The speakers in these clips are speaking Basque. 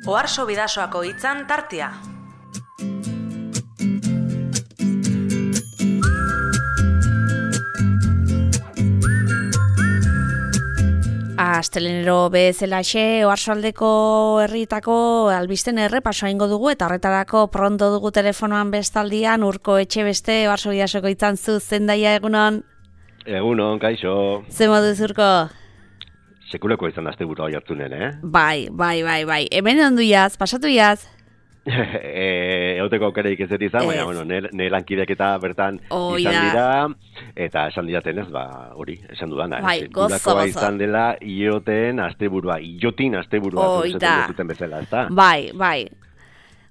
Oarso Bidasoako hitzan tartea. Astelenero bezalaxe Oarsoaldeko herrietako albisten errepasoa ingo dugu eta horretarako pronto dugu telefonoan bestaldian Urko Etxebeste Oarso Bidasoko hitzan zu Zendaia egunon. Egunon, kaixo. Ze moduz Urko? Sekuleko izan asteburua jartzunen, Bai. Hemen ondu jaz, pasatu jaz. Euteko aukereik ez izan, baina, bueno, ne lankidek eta bertan izan dira, eta esan diatenez, hori, esan dudana. Bai, gozo. Izan dela, iotin asteburua zuten bezala, ezta?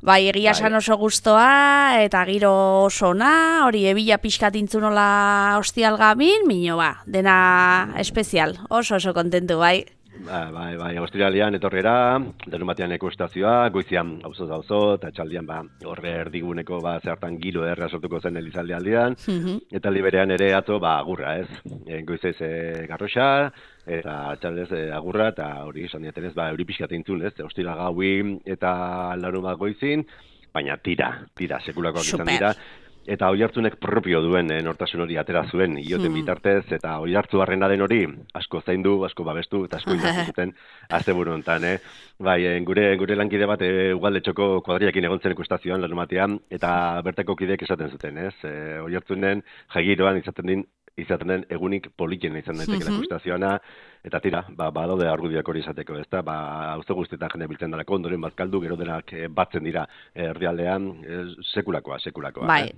Bai, egia esan oso gustoa, eta giro oso ona, hori ebila pixkat intzunola hostial gamin, mino dena espezial, oso kontentu, bai. Bai, Australian etorrera, denumatean ekustazioa, goizian auzo, eta txaldian horre erdiguneko zertan giro erra sortuko zen elizalde aldean, eta liberean ere atzo agurra, ez? Goizez garroxa, eta txaldez agurra, eta hori esan diatenez, euri pixkat eintzun, ez? Ostira gaui eta larun goizin, baina tira, sekulakoak izan dira. Eta oihartzunek propio duen nortasun hori atera zuen, ioten bitartez, eta oihartzu barrenaren hori asko zaindu, asko babestu, eta asko indartu zuten asteburu hontan. Bai, gure lankide bat Ugaldetxoko kuadriakin egon zen ikustazioan lanumatean, eta bertako kideek esaten zuten, ez? Oihartzunen jagiroan izaten den egunik politien izan daiteke ikustazioana, eta tira, badaude argudioak hori izateko, ezta? Auzo guztietan jende biltzen dalako, ondoren bazkaldu, gero denak batzen dira herrialdean, sekulakoa. Bai.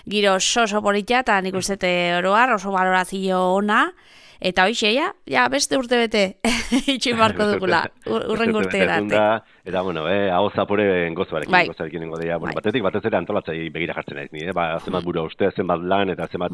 Giro oso politia, eta nik uste oroar, oso balorazio ona, eta hoxe, ja, beste urte bete, itxin barko dugula, urren urteera arte. Eta, bueno, hau zapore gozoarekin nengo deia, batetik batez ere antolatzai begira jartzen naiz ni, zenbat buru uste, zenbat lan, eta zenbat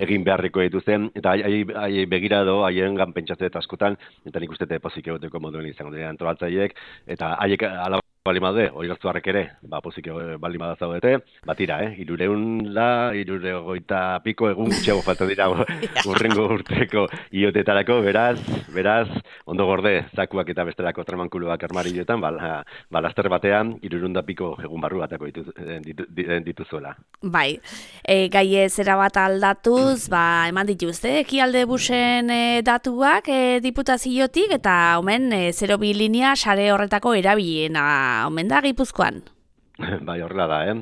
egin beharriko dituzen, eta hai begira edo, haien gan pentsatze askotan, eta nik uste pozik egoteko moduen izango dira antolatzaiek, eta haiek ala bali maude, oihartzuarrek ere, pozik bali madazaudete, tira, 300 piko egun gutxiago falta dira urrengo urteko iotetarako, beraz, ondo gorde, zakuak eta bestelako tramankuluak armarioetan, laster batean, 300 piko egun barru batako dituzuela. Bai, gai zera bat aldatuz, eman dituzte, ekialde busen datuak diputaziotik, eta omen 02 linea sare horretako erabiliena omen da Gipuzkoan. Bai, horrela da,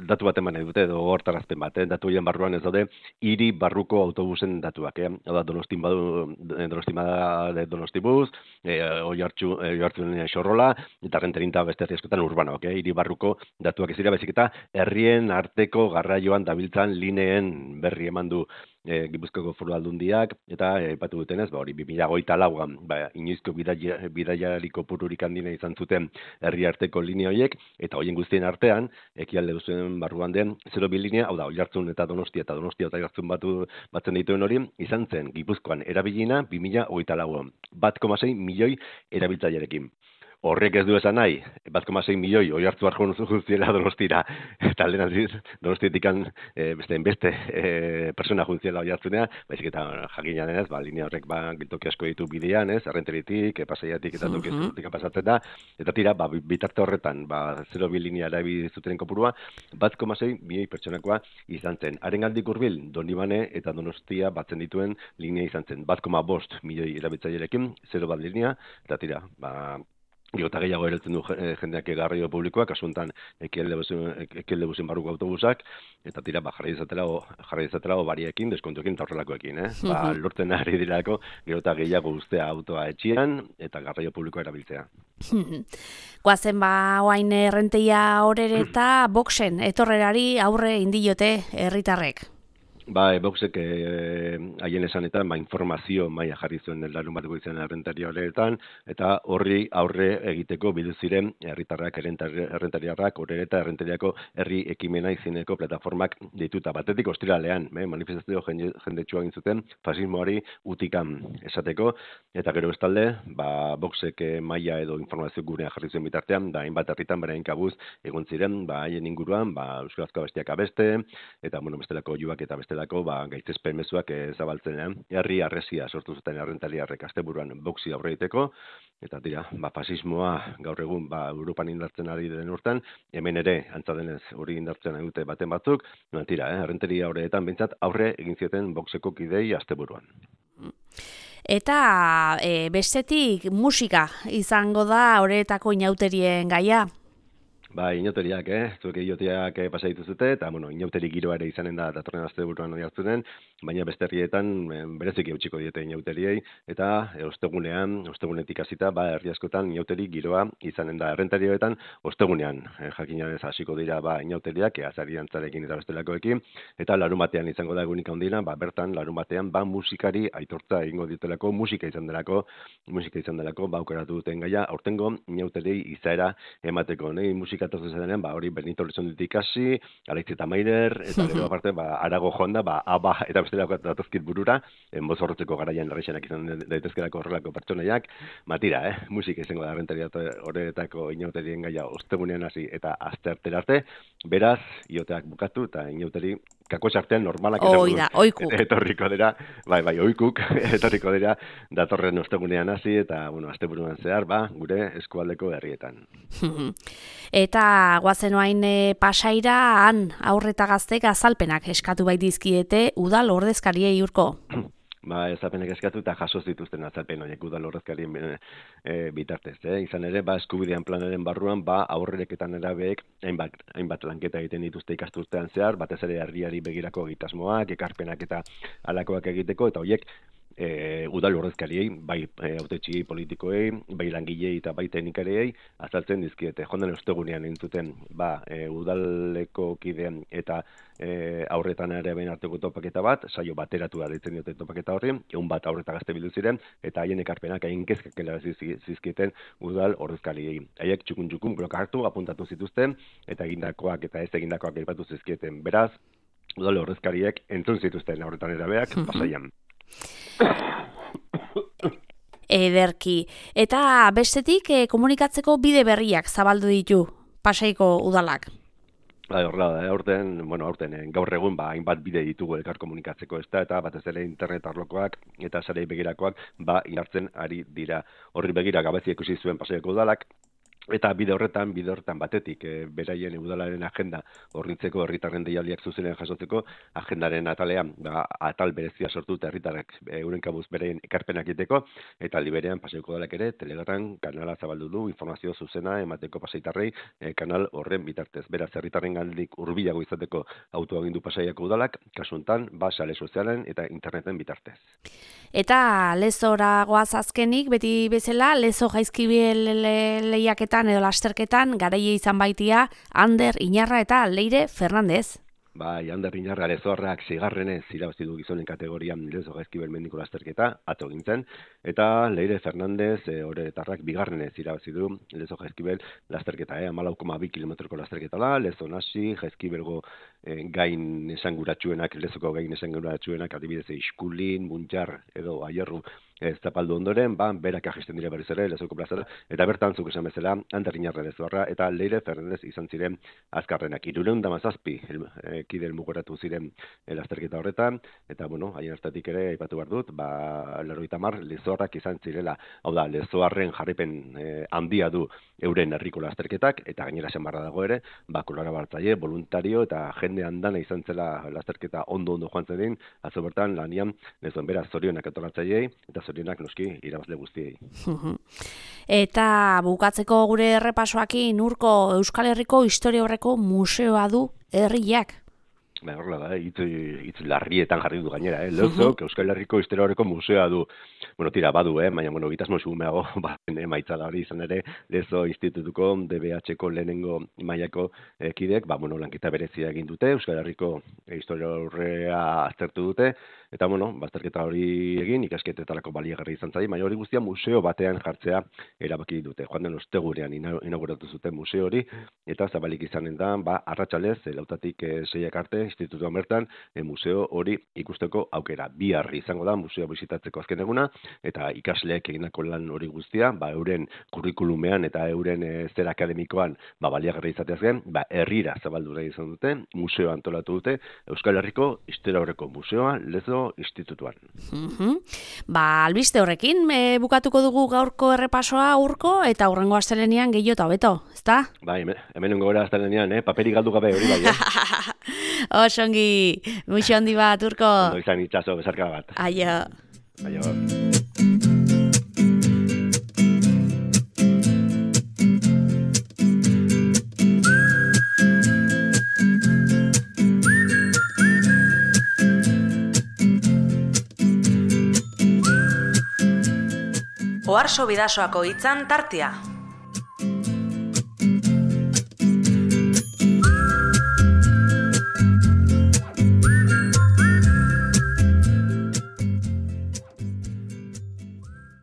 datu bat eman dute, edo hortarazpen bat, datu horien barruan ez daude, hiri barruko autobusen datuak, Hau da, Donostibus, Oiartzun Xorrola, eta Renterinta beste askotan urbanoak, hiri barruko datuak ez dira, baizik eta herrien arteko garraioan dabiltzan lineen berri eman du Gipuzkoako Foru Aldundiak, eta aipatu dutenez, hori 2024an, inoizko bidaiariko pururik handina izan zuten herri arteko linea horiek, eta horien guztien artean, ekialde duzuen barruan den 02 linea, hau da, Oiartzun eta Donostia eta Oiartzun batzen dituen hori, izan zen Gipuzkoan erabilina 2024an, 1,6 milioi erabiltzailerekin. Horrek ez du esan nahi, 1,6 milioi oihartzu arjon juntziela Donostira, eta lehen aldiz, Donostietikan beste persona juntziela oihartzunea, baizik eta jakina denez, linea horrek toki asko ditu bidean, Errenteritik, Pasaiatik eta toki pasatzen da, eta tira, bitarte horretan, 02 linea erabili zuten kopurua, 1,6 milioi pertsonakoa izan zen. Harengandik hurbil, Donibane eta Donostia batzen dituen linea izan zen, 1,5 milioi erabiltzailerekin, 01 linea, eta tira, Eta gehiago eratzen du jendeak garraio publikoak, kasuntan ekialde buzen barruko autobusak, eta tira, jarri dezatela bariekin, deskontuekin eta horrelakoekin, lortzen ari dirako, gero eta gehiago ustea autoa etxian, eta garraio publikoa erabiltzea. Guazen oain Errenteria horere eta boxen, etorrerari aurre indiote herritarrek. Boxek haien esanetan, informazio maila jarri zuen larun bat goizean Errenteria horretan, eta horri aurre egiteko bildu ziren herritarrak, errentariarrak, horre eta Errenteriako herri ekimena izeneko plataformak dituta. Batetik ostiralean, manifestazio jendetsua egin zuten, fasismoari utikan esateko, eta gero bestalde, Boxek maila edo informazio gurean jarri zuen bitartean, hainbat herritan berain kabuz egon ziren, haien inguruan, euskarazko abestiak abeste, eta bestelako oihuak eta beste bestelako gaitzespen mezuak zabaltzenean. Herri harresia sortu zuten errentariarrek asteburuan boxi aurre egiteko, eta dira, fasismoa gaur egun Europan indartzen ari den urtean, hemen ere, antza denez, hori indartzen ari dute baten batzuk, tira, errenteria horretan bintzat aurre egin zieten boxeko kidei asteburuan. Eta bestetik musika izango da horretako inauterien gaia? Inauteriak, zuek iotiak pasaitu zute, eta, inauteri giroa ere izanen da datorren asteburuan hori hartzunen, baina beste herrietan bereziki eutxiko diete inauteriei, eta ostegunetik hasita, herri askotan inauteri giroa izanen da errentarioetan, ostegunean, jakinanez hasiko dira inauteriak, azari antzarekin eta bestelakoekin, eta larun batean izango da egunik handina, bertan larun batean musikari aitortza egingo ditelako, musika izan delako, aukeratu duten gaia, aurtengo inauteriei izaera emateko, musika denean, hori Benito Elizonditik ikasi, Aleitzi eta Maider, eta gero aparte, Arago joan da, ABBA eta bestelako datozkit burura, enbozorrotzeko garaian errexenak izan daitezkelako horrelako pertsonaiak, tira, musika izango da errentaria horretako inauterien gaia ostegunean hasi eta asteartera arte, beraz, ioteak bukatu eta inauteri kakotx artean normalak etorriko dira, oikuk etorriko dira datorren ostegunean hasi eta, asteburuan zehar, gure eskualdeko herrietan. Eta guazen oain Pasaira, han aurreta gaztek azalpenak eskatu baitizkiete udal ordezkariei urko. Azalpenak eskatu eta jaso zituzten azalpen horiek udal ordezkarien bitartez. Izan ere, eskubidean planaren barruan, aurrereketan erabeek hainbat lanketa egiten dituzte ikasturtean zehar, batez ere herriari begirako egitasmoak, ekarpenak eta halakoak egiteko, eta horiek udal ordezkariei, hautetxiei politikoei, langilei eta teknikariei azaltzen dizkiete. Joan den ostegunean entzuten udaleko kideen eta aurretan ere behin arteko topaketa bat, saio bateratu ditzen diote topaketa horri, egun bat aurreta gazte bildu ziren, eta haien ekarpenak hain kezkakela zizkieten udal ordezkariei. Haiek txukun bloka hartu, apuntatu zituzten, eta egindakoak eta ez egindakoak aipatu zizkieten. Beraz, udal ordezkariek entzun zituzten aurretan erabeak Pasaian. Ederki. Eta bestetik komunikatzeko bide berriak zabaldu ditu Pasaiko udalak. Horrela da, aurten gaur egun hainbat bide ditugu elkar komunikatzeko eta batez ere internet arlokoak eta sarei begirakoak indartzen ari dira. Horri begira gabezi ikusi zuen Pasaiako udalak, eta bide horretan batetik beraien udalaren agenda hornitzeko, herritarren deialdiak zuzenean jasotzeko, agendaren atalean atal berezia sortu eta herritarrak euren kabuz beraien ekarpenak egiteko, eta aldi berean Pasaiako udalak ere Telegram kanala zabaldu du informazio zuzena emateko pasaitarrei kanal horren bitartez. Beraz, herritarren gandik hurbilago izateko autoagindu Pasaiako udalak, kasu honetan sare sozialen eta interneten bitartez. Eta Lezora goaz azkenik, beti bezala, Lezo Jaizkibel lehiaketan edo lasterketan garaile izan baitia Ander Iñarra eta Leire Fernandez. Ander Iñarra Lezorrak zigarrenez irabazi du gizonen kategorian Lezo Jaizkibel mendiko lasterketa, atzo gintzen, eta Leire Fernandez horretarrak bigarrenez irabazi du Lezo Jaizkibel lasterketa, 14,2 kilometroko lasterketa da, Lezo nasi, Jaizkibelgo gain esanguratsuenak, Lezoko gain esanguratsuenak, adibidez Iskulin, Muntxar edo Aierru zapaldu ondoren, berak ajesten dira berriz ere, Lezoko plazara, eta bertan zuk esan bezala, Ander Iñarra Lezorra eta Leire Fernandez izan ziren azkarrenak. 317 kide helmugoratu ziren lasterketa horretan, eta haien hartatik ere aipatu behar dut, 90 Lezorrak izan zirela, hau da, Lezoarren jarripen handia du euren herriko lasterketak, eta gainera esan barra dago ere, kolaboratzaile, voluntario eta jende andana izan zela lasterketa ondo joan zedin, atzo bertan lanian Lezon beraz zorionak antolatzaileei eta zorionak noski irabazle guztiei. Eta bukatzeko gure errepasoakin urko Euskal Herriko historia horreko museoa du herriak. Horrela da, hitz larrietan jarri du gainera, Lezok Euskal Herriko historia horreko museoa du. Tira, badu, baina gitasmo xumeago, emaitza da hori izan ere, Lezo Institutuko DBH-ko lehenengo mailako kidek, lanketa berezia egin dute, Euskal Herriko historia horrea aztertu dute, eta, bazterketa hori egin, ikasketetarako baliagarri izan zain, baina hori guztia museo batean jartzea erabaki dute. Joan den ostegurean inauguratu zuten museo hori, eta zabalik izanen da, arratsalez, 4 arte, institutuan bertan, museo hori ikusteko aukera. Bihar izango da museo bisitatzeko azken eguna, eta ikasleek egindako lan hori guztia, euren kurrikulumean eta euren zer akademikoan baliagarri izateaz gain, herrira zabaldu nahi izan dute, museo antolatu dute, Euskal Herriko Historia Aurreko Museoa Lezo Institutuan. Albiste horrekin, bukatuko dugu gaurko errepasoa Urko, eta hurrengo astelenean gehiago eta hobeto, ezta? Hemen gora astelenean, paperik galdu gabe hori bai, Osongi, muixo handi bat, Urko. Ondo izan itxaso, bezarka bat. Aio. Oarso Bidasoako hitzan tartea.